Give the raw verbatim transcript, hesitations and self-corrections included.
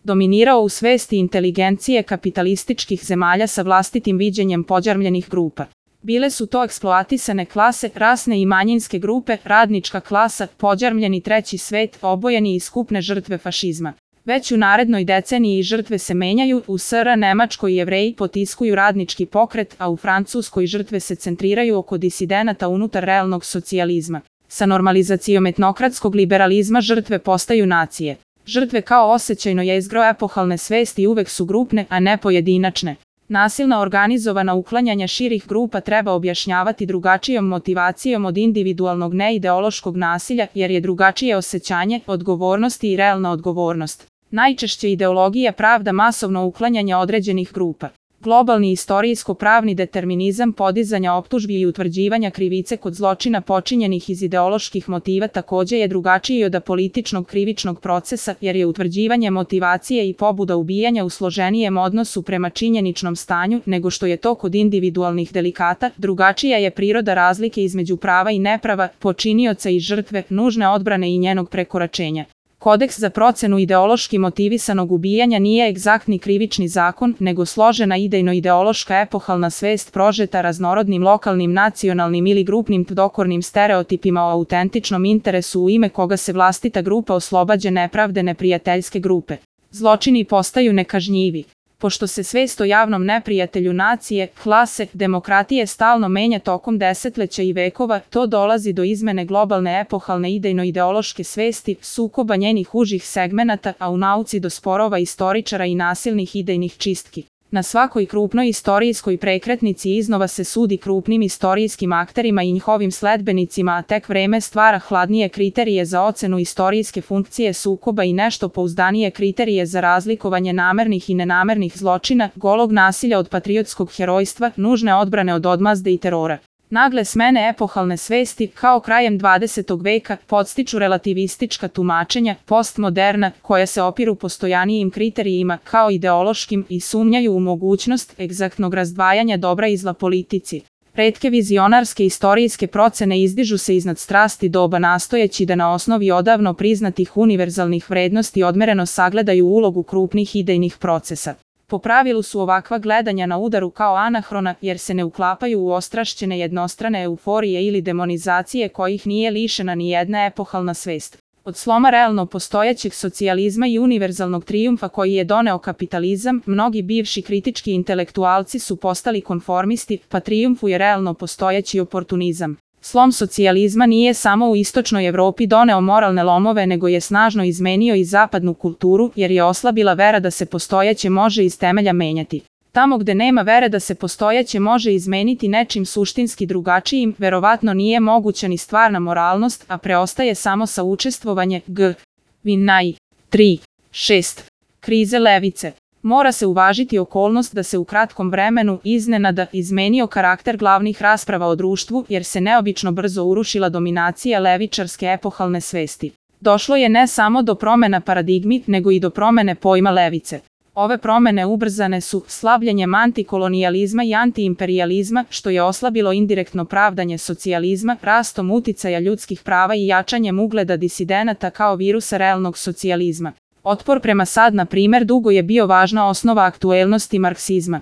dominirao u svesti inteligencije kapitalističkih zemalja sa vlastitim viđenjem pođarmljenih grupa. Bile su to eksploatisane klase, rasne i manjinske grupe, radnička klasa, pođarmljeni treći svet, obojeni i skupne žrtve fašizma. Već u narednoj deceniji žrtve se menjaju, u S R Nemačkoj Jevreji potiskuju radnički pokret, a u Francuskoj žrtve se centriraju oko disidenata unutar realnog socijalizma. Sa normalizacijom etnokratskog liberalizma žrtve postaju nacije. Žrtve kao osjećajno jezgro epohalne svesti uvek su grupne, a ne pojedinačne. Nasilna organizovana uklanjanja širih grupa treba objašnjavati drugačijom motivacijom od individualnog neideološkog nasilja, jer je drugačije osjećanje, odgovornosti i realna odgovornost. Najčešće ideologija pravda masovno uklanjanje određenih grupa. Globalni istorijsko-pravni determinizam podizanja optužbi i utvrđivanja krivice kod zločina počinjenih iz ideoloških motiva takođe je drugačiji od apolitičnog krivičnog procesa, jer je utvrđivanje motivacije i pobuda ubijanja u složenijem odnosu prema činjeničnom stanju nego što je to kod individualnih delikata. Drugačija je priroda razlike između prava i neprava, počinioca i žrtve, nužne odbrane i njenog prekoračenja. Kodeks za procenu ideološki motivisanog ubijanja nije egzaktni krivični zakon, nego složena idejno-ideološka epohalna svest prožeta raznorodnim lokalnim, nacionalnim ili grupnim dokornim stereotipima o autentičnom interesu u ime koga se vlastita grupa oslobađa nepravde neprijateljske grupe. Zločini postaju nekažnjivi. Pošto se svest o javnom neprijatelju nacije, klase, demokratije stalno menja tokom desetleća i vekova, to dolazi do izmene globalne epohalne idejno-ideološke svesti, sukoba njenih užih segmenata, a u nauci do sporova istoričara i nasilnih idejnih čistki. Na svakoj krupnoj istorijskoj prekretnici iznova se sudi krupnim istorijskim akterima i njihovim sledbenicima, a tek vreme stvara hladnije kriterije za ocenu istorijske funkcije sukoba i nešto pouzdanije kriterije za razlikovanje namernih i nenamernih zločina, golog nasilja od patriotskog herojstva, nužne odbrane od odmazde i terora. Nagle smene epohalne svesti, kao krajem dvadesetog veka, podstiču relativistička tumačenja, postmoderna, koja se opiru postojanijim kriterijima, kao ideološkim, i sumnjaju u mogućnost egzaktnog razdvajanja dobra i zla politici. Retke vizionarske istorijske procene izdižu se iznad strasti doba nastojeći da na osnovi odavno priznatih univerzalnih vrednosti odmereno sagledaju ulogu krupnih idejnih procesa. Po pravilu su ovakva gledanja na udaru kao anahrona, jer se ne uklapaju u ostrašćene jednostrane euforije ili demonizacije kojih nije lišena ni jedna epohalna svest. Od sloma realno postojećeg socijalizma i univerzalnog trijumfa koji je doneo kapitalizam, mnogi bivši kritički intelektualci su postali konformisti, pa trijumfuje realno postojeći oportunizam. Slom socijalizma nije samo u istočnoj Evropi doneo moralne lomove, nego je snažno izmenio i zapadnu kulturu, jer je oslabila vera da se postojeće može iz temelja menjati. Tamo gde nema vere da se postojeće može izmeniti nečim suštinski drugačijim, verovatno nije moguća ni stvarna moralnost, a preostaje samo saučestvovanje. G. Vinaj. tri. šest. Krize levice. Mora se uvažiti okolnost da se u kratkom vremenu iznenada izmenio karakter glavnih rasprava o društvu, jer se neobično brzo urušila dominacija levičarske epohalne svesti. Došlo je ne samo do promena paradigmi, nego i do promene pojma levice. Ove promene ubrzane su slavljenjem antikolonijalizma i antiimperijalizma, što je oslabilo indirektno pravdanje socijalizma, rastom uticaja ljudskih prava i jačanjem ugleda disidenata kao virusa realnog socijalizma. Otpor prema sad, na primer, dugo je bio važna osnova aktuelnosti marksizma.